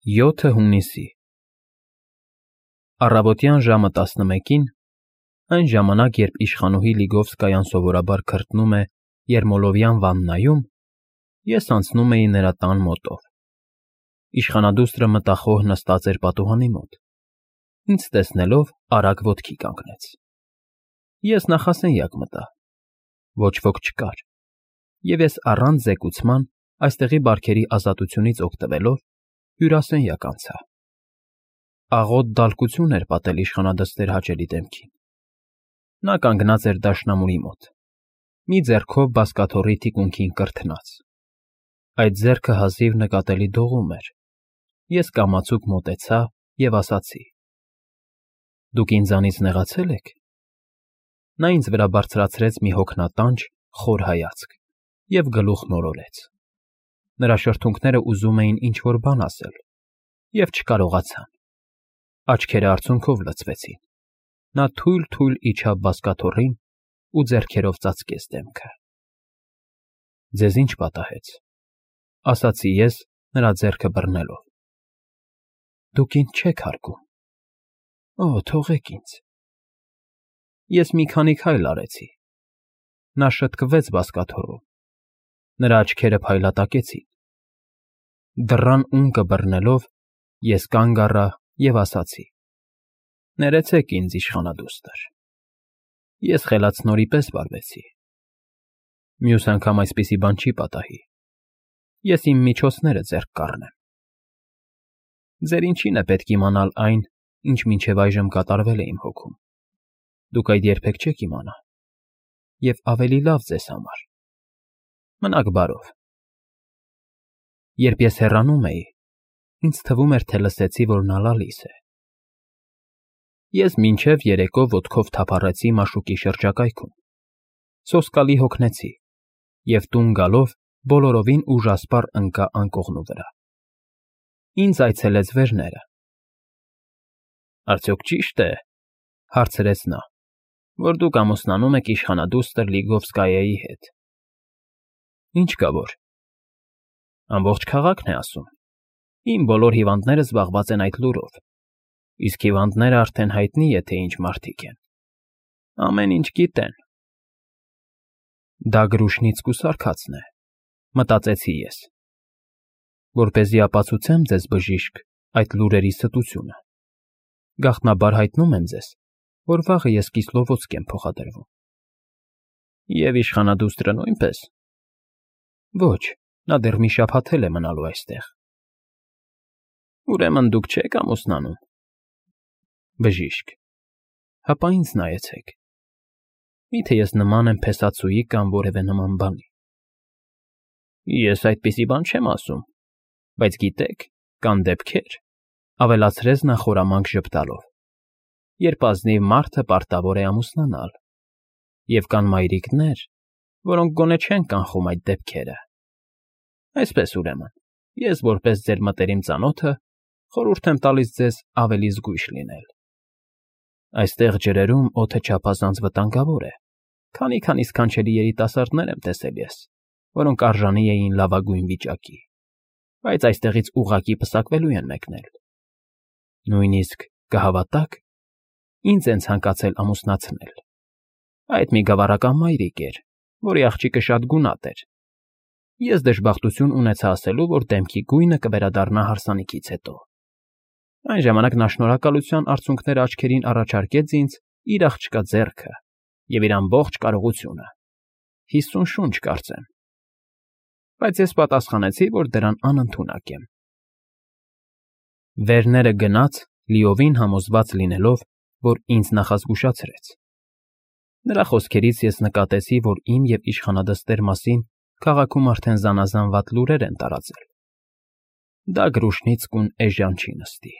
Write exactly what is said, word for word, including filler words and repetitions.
յոթը հունիսի Առավոտյան ժամը տասնմեկին, այն ժամանակ, երբ իշխանուհի Լիգովսկայան սովորաբար քրտնում է Երմոլովյան վաննայում, ես անցնում էի նրա տան մոտով։ Իշխանադուստրը մտախոհ նստած էր պատուհանի մոտ, ինձ տեսնելով արագ ոտքի կանգնեց։ Ես նախասենյակ մտա, ոչ ոք չկար, և ես առանց զեկուցման այստեղի բարքերի ազատությունից օգտվելով հյուրասենյակ անցա։ Աղոտ դալկություն էր պատել իշխանադստեր հաճելի դեմքին։ Նա կանգնած էր դաշնամուրի մոտ, մի ձեռքով բազկաթոռի թիկունքին կրթնած։ Այդ ձեռքը հազիվ նկատելի դողում էր։ Ես կամացուկ մոտեցա և ասացի. «Դուք ինձանից նեղացե՞լ եք»։ Նա ինձ վրա բարձրացրեց մի հոգնատանջ, խոր հայացք և գլուխ նորորեց։ Նրա շրթունքները ուզում էին ինչ֊որ բան ասել, և չկարողացան։ Աչքերը արցունքով լցվեցին։ Նա թույլ֊թույլ իջավ բազկաթոռին ու ձեռքերով ծածկեց դեմքը։ «Ձեզ ի՞նչ պատահեց», ֊ ասացի ես, նրա ձեռքը բռնելով։ «Դուք ինձ չեք հարգում»։ «Օ, թողեք ինձ»։ Ես մի քանի քայլ արեցի։ Նա շտկվեց բազկաթոռում։ Նրա աչքերը փայլատակեցին։ Դռան ունկը բռնելով, ես կանգ առա և ասացի. «Ներեցեք ինձ, իշխանադուստր»։ Ես խելացնորի պես վարվեցի։ Մյուս անգամ այսպիսի բան չի պատահի։ Ես իմ միջոցները ձեռք կառնեմ։ Ձեր ինչին է պետք իմանալ այն, ինչ մինչև այժմ կատարվել է իմ հոգում։ Դուք այդ երբեք չեք իմանա, և ավելի լավ ձեզ համար։ Մնաք բարով։ Երբ ես հեռանում էի, ինձ թվում էր, թե լսեցի, որ նա լալիս է։ Ես մինչև երեկո ոտքով թափառեցի մաշուկի շրջակայքում, սոսկալի հոգնեցի և տուն գալով բոլորովին ուժասպառ ընկա անկողնու վրա։ Ինձ այցելեց վերները։ «Արդյոք ճի՞շտ է, ֊ հարցրեց նա, ֊ որ դուք ամուսնանում եք իշխանադուստր Լիգովսկայայի հետ»։ «Ինչ կա որ»։ «Ամբողջ քաղաքն է ասում։ Իմ բոլոր հիվանդները զբաղված են այդ լուրով, իսկ հիվանդները արդեն հայտնի է, թե ինչ մարդիկ են։ Ամեն ինչ գիտեն»։ Դա Գրուշնից կուսարկածն է, մտածեցի ես, որպեսզի ապացուցեմ ձեզ, բժիշկ, այդ լուրերի ստությունը։ Գաղտնաբար հայտնում եմ ձեզ, որ վաղը ես Կիսլովոդսկ եմ փոխադրվում։ Եվ իշխանադուստրը նույնպե՞ս։ Ոչ, նա դեռ մի շաբաթ էլ է մնալու այստեղ։ Ուրեմն դուք չեք ամուսնանում։ Բժիշկ, հապա ինձ նայեցեք։ Մի՞թե ես նման եմ փեսացուի կամ որևէ նման բանի։ Ես այդպիսի բան չեմ ասում, բայց գիտեք, կան դեպքեր, ֊ ավելացրեց նա խորամանկ ժպտալով, ֊ երբ ազնիվ մարդը պարտավոր է ամուսնանալ, և կան մայրիկներ, որոնք գոնե չեն կանխում այդ դեպքերը։ Այսպես, ուրեմն, ես որպես ձեր մտերիմ ծանոթը խորհուրդ եմ տալիս ձեզ ավելի զգույշ լինել։ Այստեղ ջրերում օդը չափազանց վտանգավոր է, քանի֊քանի սքանչելի երիտասարդներ եմ տեսել ես, որոնք արժանի էին լավագույն վիճակի, բայց այստեղից ուղղակի պսակվելու են մեկնել։ Նույնիսկ, կհավատաք, ինձ են ցանկացել ամուսնացնել։ Այդ մի գավառական մայրիկ էր, որի աղջիկը շատ գունատ էր։ Ես դժբախտություն ունեցա ասելու, որ դեմքի գույնը կվերադառնա հարսանիքից հետո։ Այն ժամանակ նա շնորհակալության արցունքները աչքերին առաջարկեց ինձ իր աղջկա ձեռքը և իր ամբողջ կարողությունը, հիսուն շունչ, կարծեմ։ Բայց ես պատասխանեցի, որ դրան անընդունակ եմ։ Վերները գնաց, լիովին համոզված լինելով, որ ինձ նախազգուշացրեց։ Նրա խոսքերից ես նկատեցի, որ իմ և իշխանադստեր մասին քաղաքում արդեն զանազան վատ լուրեր են տարածել։ Դա Գրուշնիցկուն էժան չի նստի։